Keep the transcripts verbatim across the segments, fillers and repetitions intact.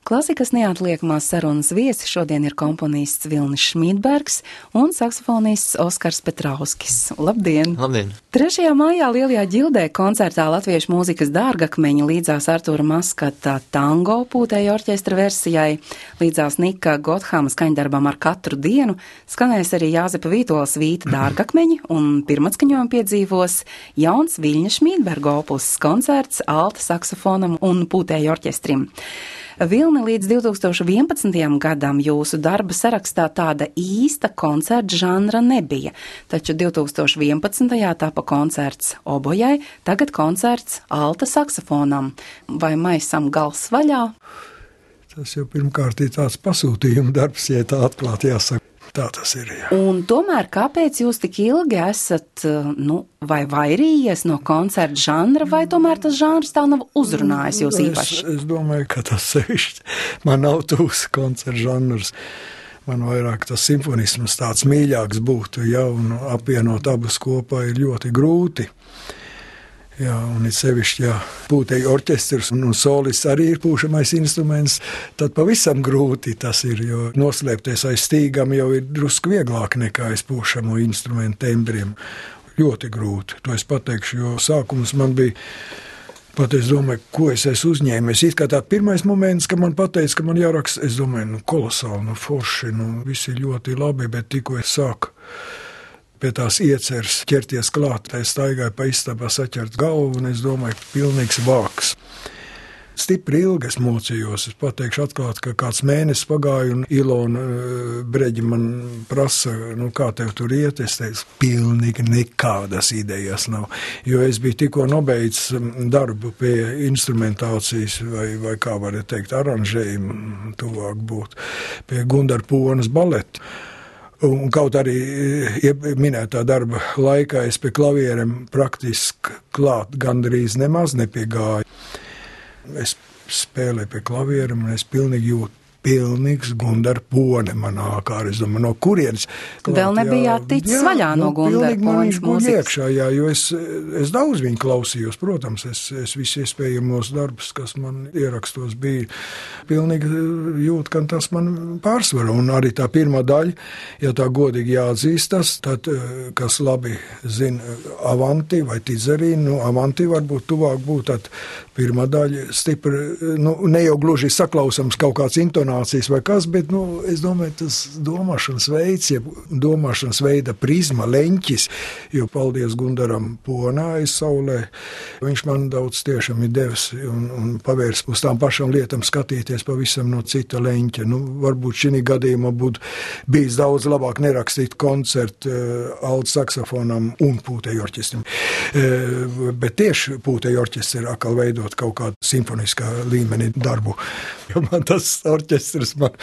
Klasikas neatliekamās sarunas viesi šodien ir komponists Vilnis Šmīdbergs un saksofonists Oskars Petrauskis. Labdien! Labdien! trešajā maijā Lielajā ģildē koncertā Latviešu mūzikas dārgakmeņa līdzās Artūra Maskata tango pūtēju orķestra versijai, līdzās Nika Gothama skaņdarbam Ar katru dienu, skanēs arī Jāzepa Vītola svīta dārgakmeņi un pirmatskaņojumu piedzīvos jauns Viļņa Šmīdberga opus koncerts alta saksofonam un pūtēju orķestrim. Vilni, līdz divi tūkstoši vienpadsmitajam gadam jūsu darba sarakstā tāda īsta koncerta žanra nebija, taču divi tūkstoši vienpadsmitajā tapa koncerts obojai, tagad koncerts alta saksofonam. Vai maisam gals vaļā? Tas jau pirmkārt ir tāds pasūtījuma darbs, ja tā atklāti jāsaka. Tā tas ir, jā. Un tomēr, kāpēc jūs tik ilgi esat, nu, vai vairījies no koncerta žanra, vai tomēr tas žanrs tā nav uzrunājis jūs īpaši? Es, es domāju, ka tas sevišķi man nav tūs koncerta žanrs. Man vairāk tas simfonisms tāds mīļāks būtu, ja, un apvienot abus kopā ir ļoti grūti. Jā, un ir sevišķi, ja pūtēju orķestrs un, un solists arī ir pūšamais instruments, tad pavisam grūti tas ir, jo noslēpties aiz stīgam jau ir drusku vieglāk nekā aiz pūšamo instrumentu tembriem. Ļoti grūti, to es pateikšu, jo sākums man bija, pat es domāju, ko es esmu uzņēmies. It kā tā pirmais moments, ka man pateica, ka man jāraksta, es domāju, nu kolosāli, nu forši, nu visi ļoti labi, bet tikko es sāku pie tās ieceres ķerties klāt, tā es staigāju pa istabā saķert galvu, un es domāju, pilnīgs vāks. Stipri ilgi es mocījos, es pateikšu atklāt, ka kāds mēnesis pagāja, un Ilona Breģi man prasa, nu kā tev tur iet, es teicu, pilnīgi nekādas idejas nav, jo es biju tikko nobeidzis darbu pie instrumentācijas, vai, vai kā varētu teikt, aranžējumu tuvāk būt, pie Gundara Ponas baleta. Un kaut arī minētā darba laikā es pie klavierem praktiski klāt gandrīz nemaz nepiegāju. Es spēlēju pie klavierem un es pilnīgi jūtu. Pilnīgs Gundara Pone manā kārā. Es domāju, no kurienes? Klāt, vēl nebijāt ticis jā, vaļā no Gundara Pones mūzikas. Iekšā, jā, jo es, es daudz viņu klausījos, protams, es, es visi iespējamos darbus, kas man ierakstos bija, pilnīgi jūt, ka tas man pārsvara. Un arī tā pirmā daļa, ja tā godīgi jāatzīstas, tad, kas labi zina Avanti vai Tizerīnu, nu, Avanti varbūt tuvāk būt, tad pirmā daļa stipri, nu, ne jau gluži saklausams kaut kāds intonācijas vai kas, bet, nu, es domāju, tas domāšanas veids, ja domāšanas veida prizma, leņķis, jo paldies Gundaram Ponā aiz saulē, viņš man daudz tiešām ir devis un, un pavērs uz tām pašām lietām skatīties pavisam no cita leņķa. Nu, varbūt šī gadījumā būtu bijis daudz labāk nerakstīt koncertu uh, alta saksofonam un pūtēju orķestrim. Uh, bet tieši pūtēju orķestri ir atkal veidot kaut kādu simfoniskā līmenī darbu. Jo man tas orķestris Man,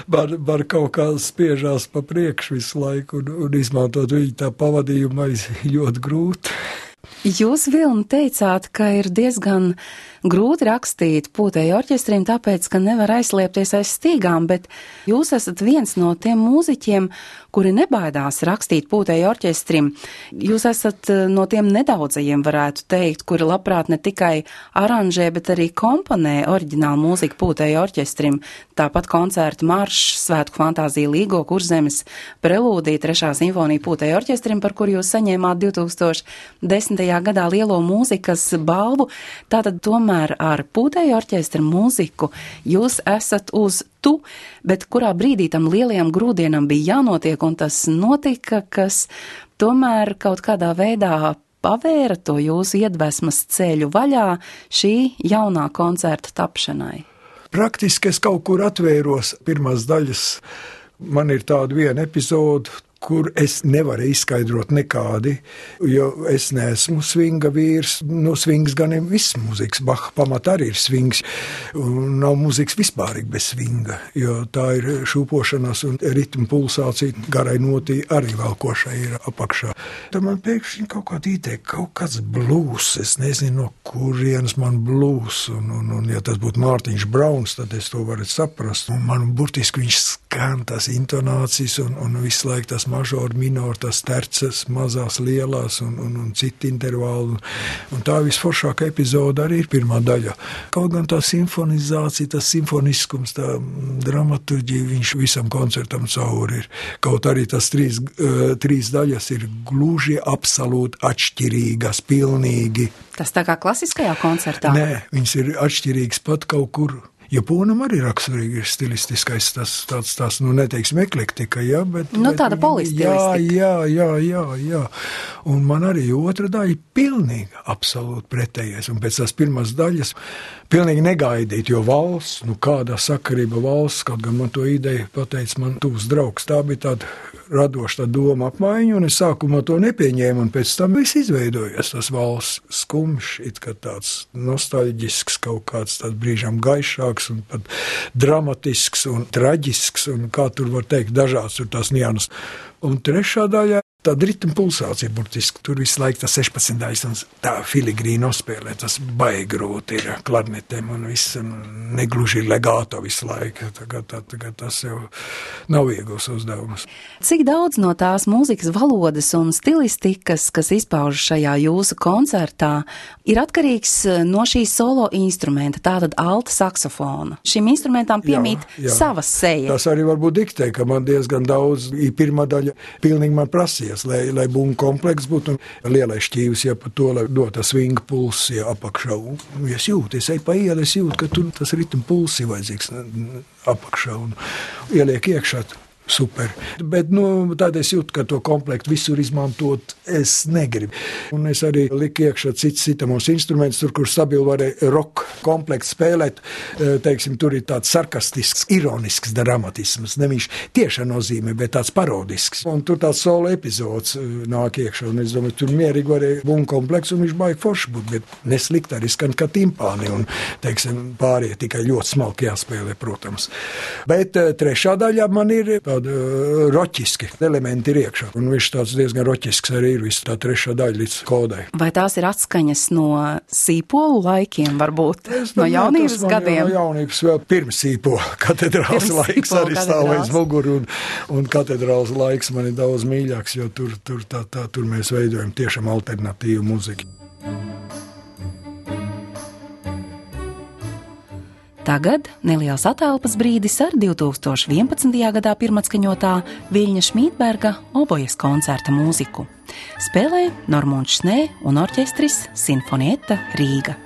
man, man kaut kā spiežās pa priekšu visu laiku un, un izmantot viņu tā pavadījumā ļoti grūti. Jūs, Vilni, teicāt, ka ir diezgan grūti rakstīt pūtēju orķestrim, tāpēc, ka nevar aizslēpties aiz stīgām, bet jūs esat viens no tiem mūziķiem, kuri nebaidās rakstīt pūtēju orķestrim. Jūs esat no tiem nedaudzajiem, varētu teikt, kuri labprāt ne tikai aranžē, bet arī komponē oriģinālu mūziku pūtēju orķestrim. Tāpat koncertu maršs, Svētku fantāzija Līgo, Kurzemes, prelūdija, trešā simfonija pūtēju orķestrim, par kur jūs saņēmāt divi tūkstoši desmitajā gadā lielo mūzikas balvu. Tātad tomēr ar pūtēju orķestra mūziku jūs esat uz tu, bet kurā brīdī tam lielajam grūdienam bija jānotiek, un tas notika, kas tomēr kaut kādā veidā pavēra to jūsu iedvesmas ceļu vaļā šī jaunā koncerta tapšanai. Praktiski es kaut kur atvēros pirmās daļas. Man ir tāda viena epizode, kur es nevaru izskaidrot nekādi, jo es neesmu svinga vīrs. No svings gan ir viss mūzikas, Baha pamat arī ir svings, un nav mūzikas vispārīgi bez svinga, jo tā ir šūpošanās un ritmu pulsācija, garai notī arī velkošai ir apakšā. Tad man pēkšņi kaut kāda ideja, kaut kāds blūs, es nezinu, no kurienes man blūs, un, un, un ja tas būtu Mārtiņš Brauns, tad es to varu saprast, un man burtiski viņš skan tas intonācijas un, un visu laiku tas mažor, minor, tas terces, mazās, lielās un, un, un citi intervāli. Un, un tā visforšākā epizoda arī ir pirmā daļa. Kaut gan tā simfonizācija, tas simfoniskums, tā dramaturģija, viņš visam koncertam cauri ir. Kaut arī tas trīs, uh, trīs daļas ir gluži absolūti atšķirīgas, pilnīgi. Tas tā kā klasiskajā koncertā? Nē, viņas ir atšķirīgas pat kaut kur. Japānam arī raksturīgi ir stilistiskais, tas tāds, tās, nu, neteiksim, eklektika, jā, bet... Nu, tāda polistilistika. Jā, jā, jā, jā, jā. Un man arī otra daļa ir pilnīgi, absolūti pretējais. Un pēc tās pirmās daļas pilnīgi negaidīt, jo valsts, nu, kādā sakarība valsts, kaut gan man to ideju pateica man tuvs draugs, tā bija tāda radoša tā doma apmaiņa, un es sākumā to nepieņēmu, un pēc tam viss izveidojas, tas valsts skumjš, it kā tāds nostalģisks, kaut kāds tāds brīžām gaišāks, un pat dramatisks un traģisks, un kā tur var teikt, dažāds tur tās nianses. Un trešā daļā tāda ritma pulsācija burtiski. Tur visu laiku tas sešpadsmit daļas un tā filigrīni nospēlē. Tas baigi grūti ir klarnetēm un viss, un negluži legāto visu laiku. Tagad, tā, tagad tas jau nav viegls uzdevums. Cik daudz no tās mūzikas valodas un stilistikas, kas izpaužas šajā jūsu koncertā, ir atkarīgs no šīs solo instrumenta, tātad alta saksofona? Šim instrumentam piemīt jā, jā. savas seja. Tas arī varbūt diktē, ka man diezgan daudz, ir pirmā daļa pilnīgi man prasīja. Lai, lai būtu komplekss būtu un lielais šķīvis, ja par to, lai dot tas svinga pulss, ja apakšā. Un es jūtu, es eju pa ielu, es jūtu, ka tur tas ritma pulss ir vajadzīgs apakšā un ieliek iekšā. Super. Bet, nu, tad es jūtu, ka to komplektu visur izmantot es negribu. Un es arī liku iekšā cits citamos instrumentus, tur, kur stabili varēja rock komplektu spēlēt, teiksim, tur ir tāds sarkastisks, ironisks dramatisms, nevis tieša nozīme, bet tāds parodisks. Un tur tāds solo epizods nāk iekšā, un es domāju, tur mierīgi varēja būt komplekts, un viņš baigi forši būt, bet neslikt arī skan kā timpāni, un, teiksim, pārējie tikai ļoti smalki jāspēlē, protams. Bet trešā daļā man ir roķiski elementi ir iekšā. Un viņš tāds diezgan roķisks arī ir viss tā trešā daļa līdz kodai. Vai tās ir atskaņas no sīpolu laikiem, varbūt? Es, no jaunības gadiem? No jaunības vēl pirms sīpola katedrāls pirms laiks arī stāvēs muguru, un, un katedrāls laiks man ir daudz mīļāks, jo tur, tur, tā, tā, tur mēs veidojam tiešām alternatīvu muziku. Tagad neliels atelpas brīdis ar divi tūkstoši vienpadsmitajā gadā pirmatskaņotā Viļņa Šmīdberga obojas koncerta mūziku. Spēlē Normunds Šnē un orķestris Sinfonietta Rīga.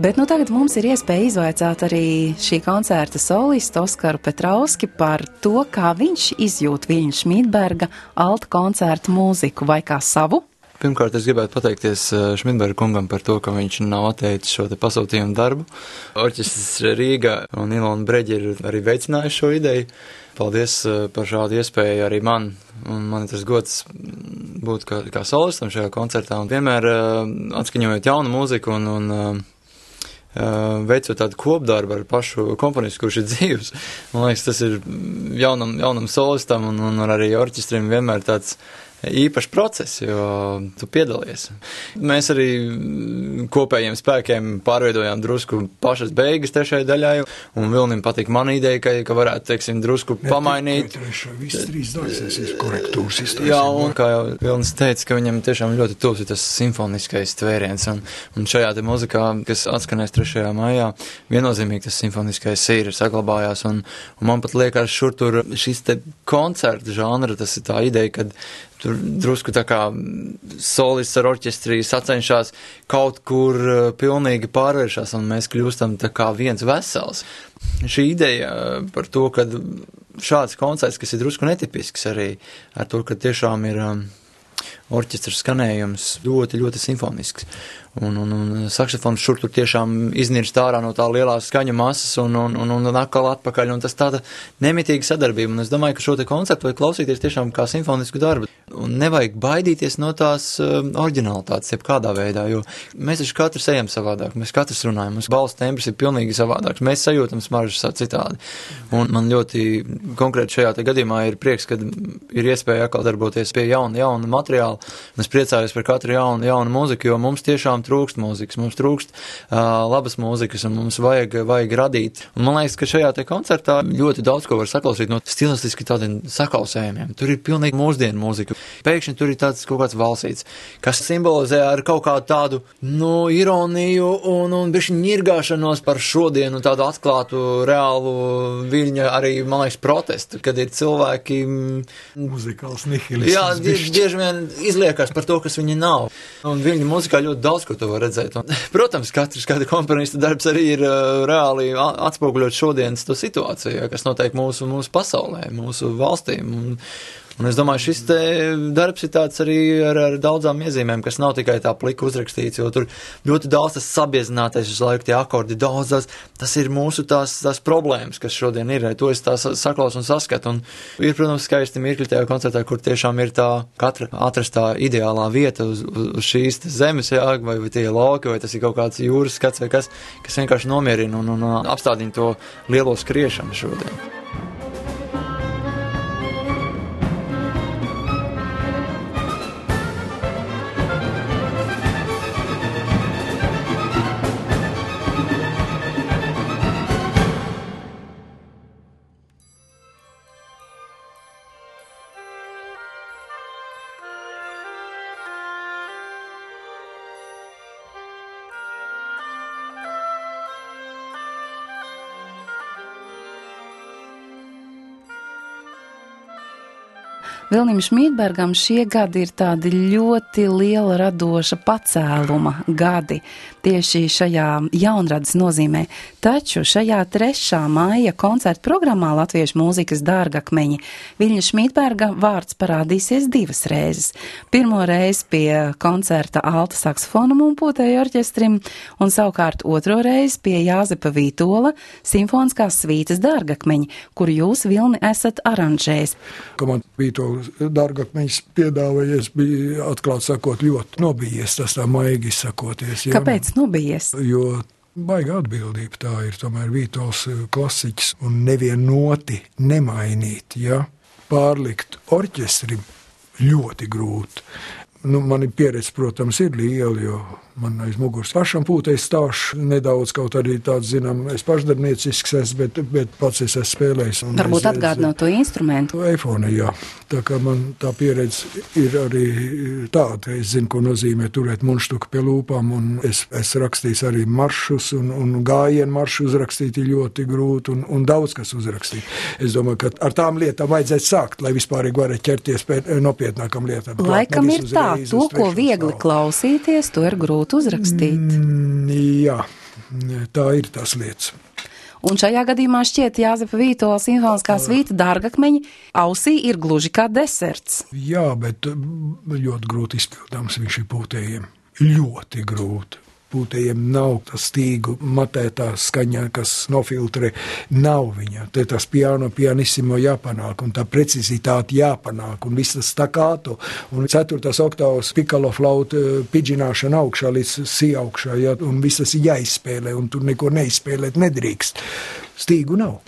Bet nu tagad mums ir iespēja izvaicāt arī šī koncerta solistu Oskaru Petrauski par to, kā viņš izjūt Viļņa Šmīdberga alta koncerta mūziku vai kā savu. Pirmkārt, es gribētu pateikties Šmīdberga kungam par to, ka viņš nav atteicis šo te pasūtījumu darbu. Orķestris Rīga un Ilona Breģi ir arī veicinājuši šo ideju. Paldies par šādu iespēju arī man. Un man ir tas gods būt kā, kā solistam šajā koncertā un vienmēr atskaņojot jaunu mūziku un, un veicot tādu kopdarbu ar pašu komponistu, kurš ir dzīvs. Man liekas, tas ir jaunam, jaunam solistam un, un arī orķestrim vienmēr tāds īpašs process, jo tu piedalies. Mēs arī kopējiem spēkiem pārveidojām drusku pašas beigas trešajai daļai, un Vilnim patīk man ideja, ka, ka varētu, teiksim, drusku ne, pamainīt. Trešā, viss trīs daļas ir korektūras iztaisījumi. Jā, un kā jau Vilnis teica, ka viņam tiešām ļoti tuvs ir tas simfoniskais tvēriens, un, un šajā te muzikā, kas atskanēs trešajā maijā, viennozīmīgi tas simfoniskais ir saglabājās, un, un man pat liekas šur tur šis te koncerta žanra, tas ir tā ideja, kad tur drusku tā kā solists ar orķestrī sacenšās kaut kur pilnīgi pārvēršās, un mēs kļūstam tā kā viens vesels. Šī ideja par to, ka šāds koncerts, kas ir drusku netipisks arī, ar to, ka tiešām ir orķestra skanējums ļoti, ļoti simfonisks. Un, un, un saksofons šur tur tiešām iznirst ārā no tā lielā skaņu masas un, un, un, un atkal atpakaļ, un tas tāda nemitīga sadarbība. Un es domāju, ka šo te koncertu vajag klausīties tiešām kā simfonisku darbu. Un nevajag baidīties no tās uh, oriģinalitātes, jeb kādā veidā, jo mēs taču katrs ejam savādāk, mēs katrs runājam, mums balss tembrs ir pilnīgi savādāks, mēs sajūtam smaržas citādi. Un man ļoti konkrēti šajā te gadījumā ir prieks, kad ir iespēja atkal darboties pie jauna, jauna materiāla, un es priecājos par katru jaunu, jaunu mūziku, jo mums tiešām trūkst mūzikas, mums trūkst uh, labas mūzikas, un mums vajag, vajag radīt. Un man liekas, ka šajā te koncertā ļoti daudz ko var saklausīt no stilistiski tādiem sakausējumiem. Tur ir pilnīgi mūsdienu mūzika. Pēkšņi tur ir tāds kaut kāds valsīts, kas simbolizē ar kaut kādu tādu, nu, ironiju un, un bišķi ņirgāšanos par šodienu, tādu atklātu, reālu viļņa arī, man liekas, protestu, kad ir cilvēki... Muzikāls nihilisms. Jā, bieži vien izliekas par to, kas viņi nav. Un viļņa muzikā ļoti daudz, ko to var redzēt. Un, protams, katrs kāda komponista darbs arī ir uh, reāli atspoguļot šodienas to situāciju, kas notiek mūsu, mūsu pasaulē, mūsu valstīm. Un, Un es domāju, šis te darbs ir tāds arī ar, ar daudzām iezīmēm, kas nav tikai tā plika uzrakstīts, jo tur ļoti daudz tas sabiezinātais uz laiku tie akordi, daudz tas, tas ir mūsu tās, tās problēmas, kas šodien ir, to es tā saklaus un saskatu. Un ir, protams, skaisti mirkļi tajā koncertā, kur tiešām ir tā katra atrastā ideālā vieta uz, uz šīs zemes, jā, vai, vai tie lauki, vai tas ir kaut kāds jūras skats vai kas, kas vienkārši nomierina un, un apstādina to lielo skriešanu šodien. Vilnim Šmītbergam šie gadi ir tādi ļoti liela radoša pacēluma gadi tieši šajā jaunradas nozīmē. Taču šajā trešā maija koncerta programmā Latviešu mūzikas dārgakmeņi Viļņa Šmītberga vārds parādīsies divas reizes. Pirmo reizi pie koncerta alta saksofonam un pūtēju orķestrim, un savukārt otro reizi pie Jāzepa Vītola simfoniskās svītas dārgakmeņi, kuru jūs, Vilni, esat aranžējis. Komanda Vītola dārgakmeņus piedāvājies, bija atklāt sakot ļoti nobijies, tas tā maigi sakoties. Jā. Kāpēc nobijies? Jo baiga atbildība tā ir, tomēr Vītols klasiķis un nevien noti nemainīt, ja, pārlikt orķestrim ļoti grūti. Nu, mani pieredze, protams, ir liela, jo man aiz muguras pašam pūtēs stāšu nedaudz, kaut arī tāds, zinām, es pašdarbniecisks esmu, bet, bet pats es esmu spēlējis. Varbūt atgādināt to instrumentu. Eifone, jā. Tā kā man tā pieredze ir arī tāda, es zinu, ko nozīmē turēt munštuku pie lūpām, un es, es rakstījis arī maršus, un, un gājienu maršu uzrakstīt ir ļoti grūti, un, un daudz kas uzrakstīt. Es domāju, ka ar tām lietām vajadzētu sākt, lai vispārīgi varētu ķerties pēc nopietnākam lietām. Laikam ir tā, to, ko viegli klausīties, to ir grūti uzrakstīt. Mm, jā, tā ir tās lietas. Un šajā gadījumā šķiet Jāzepa Vītola simfoniskā svīta dārgakmeņi ausī ir gluži kā deserts. Jā, bet ļoti grūti izpildāms viņš ir pūtējiem. Ļoti grūti. Pūtējiem nav tas stīgu matētā skaņā, kas nofiltrē, nav viņa. Te tas piano, pianissimo jāpanāk, un tā precizitāte jāpanāk, un viss tas stakāto, un ceturtās oktāvas pikalo flauta pidžināšana augšā līdz si augšā, ja, un viss tas jāizspēlē, un tur neko neizspēlēt nedrīkst. Stīgu nav.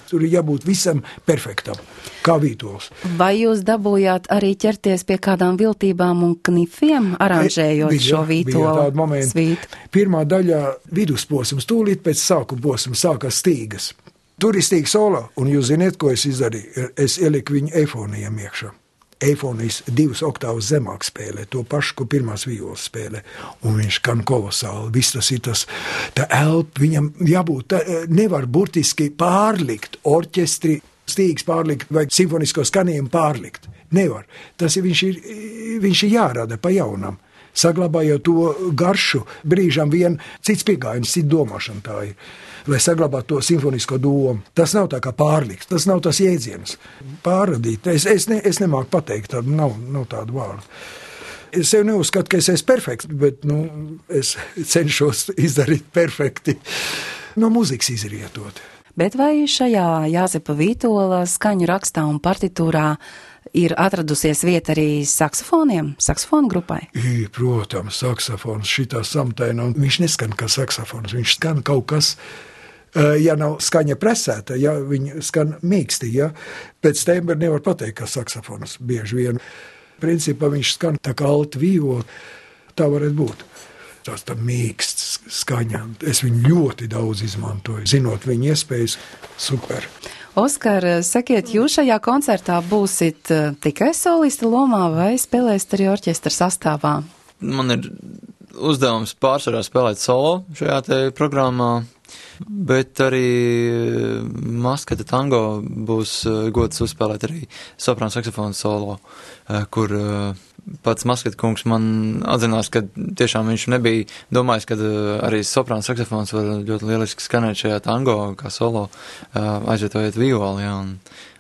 Tur ir jābūt visam perfektam, kā Vītols. Vai jūs dabūjāt arī ķerties pie kādām viltībām un knifiem, aranžējot bija, šo Vītola svītu? Pirmā daļā vidusposms, tūlīt pēc sākuma posms sākās stīgas. Tur ir stīga solo, un jūs ziniet, ko es izdarīju? Es ieliku viņu eifonijam iekšā. Eifonijas divas oktāvas zemāk spēlē, to pašu, ko pirmās violas spēlē, un viņš kan kolosāli, viss tas ir tas, tā elpa, viņam jābūt, tā, nevar burtiski pārlikt orķestri, stīgas pārlikt vai simfonisko skanījumu pārlikt. Nevar. Tas ir, viņš ir, viņš ir jārada pa jaunam. Saglabājot to garšu, brīžam vien cits piegājiens, cits domāšana tā ir, lai saglabātu to simfonisko domu. Tas nav tā kā pārliks, tas nav tas jēdziens. Pārradīt, es, es, ne, es nemāku pateikt, tādu nav, nav tādu vārdu. Es sev neuzskatu, ka es esmu perfekts, bet nu, es cenšos izdarīt perfekti no muzikas izrietot. Bet vai šajā Jāzepa Vītola skaņu rakstā un partitūrā ir atradusies vieta arī saksofoniem, saksofonu grupai? I, protams, saksofons šitā samtaina, un viņš neskan kā saksofons, viņš skan kaut kas, ja nav skaņa presēta, ja viņa skan mīksti, ja pēc tembra nevar pateikt, kā saksofons bieži vien. Principā viņš skan tā kā alta vīvo, tā varētu būt. Tās tā mīksts skaņa. Es viņu ļoti daudz izmantoju, zinot viņa iespējas, super. Oskar, sakiet, jūs šajā koncertā būsit tikai solista lomā vai spēlēsiet arī orķestra sastāvā? Man ir uzdevums pārsvarā spēlēt solo šajā te programmā, bet arī Maskata tango būs gods uzspēlēt arī soprānu saksofonu solo, kur pats Maskata kungs man atzinās, ka tiešām viņš nebija domājis, ka arī soprānu saksofons var ļoti lieliski skanēt šajā tango kā solo, aizvietojot violi, jā, un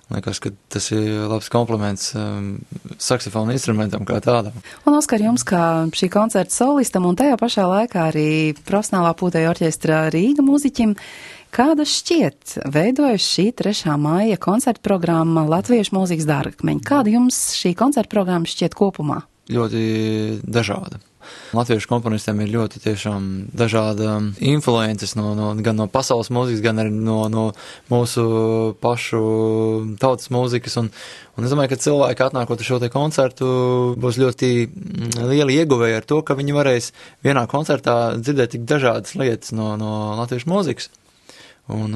liekas, ka tas ir labs kompliments um, saksofonu instrumentam kā tādam. Un, Oskar, jums kā šī koncerta solistam un tajā pašā laikā arī profesionālā pūtēju orķestra Rīga mūziķim, kāda šķiet veidojas šī trešā māja koncerta programma Latviešu mūzikas dārgakmeņi? Kāda jums šī koncerta programma šķiet kopumā? Ļoti dažāda. Latviešu komponistiem ir ļoti tiešām dažāda influences no, no, gan no pasaules mūzikas, gan arī no, no mūsu pašu tautas mūzikas. Un, un es domāju, ka cilvēki atnākot uz šo te koncertu būs ļoti lieli ieguvēji ar to, ka viņi varēs vienā koncertā dzirdēt tik dažādas lietas no, no latviešu mūzikas. Un,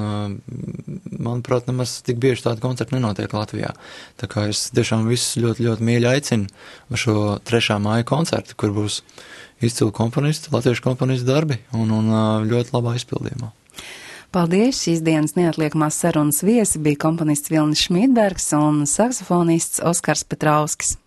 manuprāt, nemaz tik bieži tāda koncerta nenotiek Latvijā. Tā kā es tiešām visus ļoti, ļoti mīļi aicinu uz šo trešā māja koncertu, kur būs izcili komponisti, latviešu komponistu darbi un, un ļoti labā izpildījumā. Paldies! Šīs dienas neatliekamās sarunas viesi bija komponists Vilnis Šmītbergs un saksofonists Oskars Petrauskis.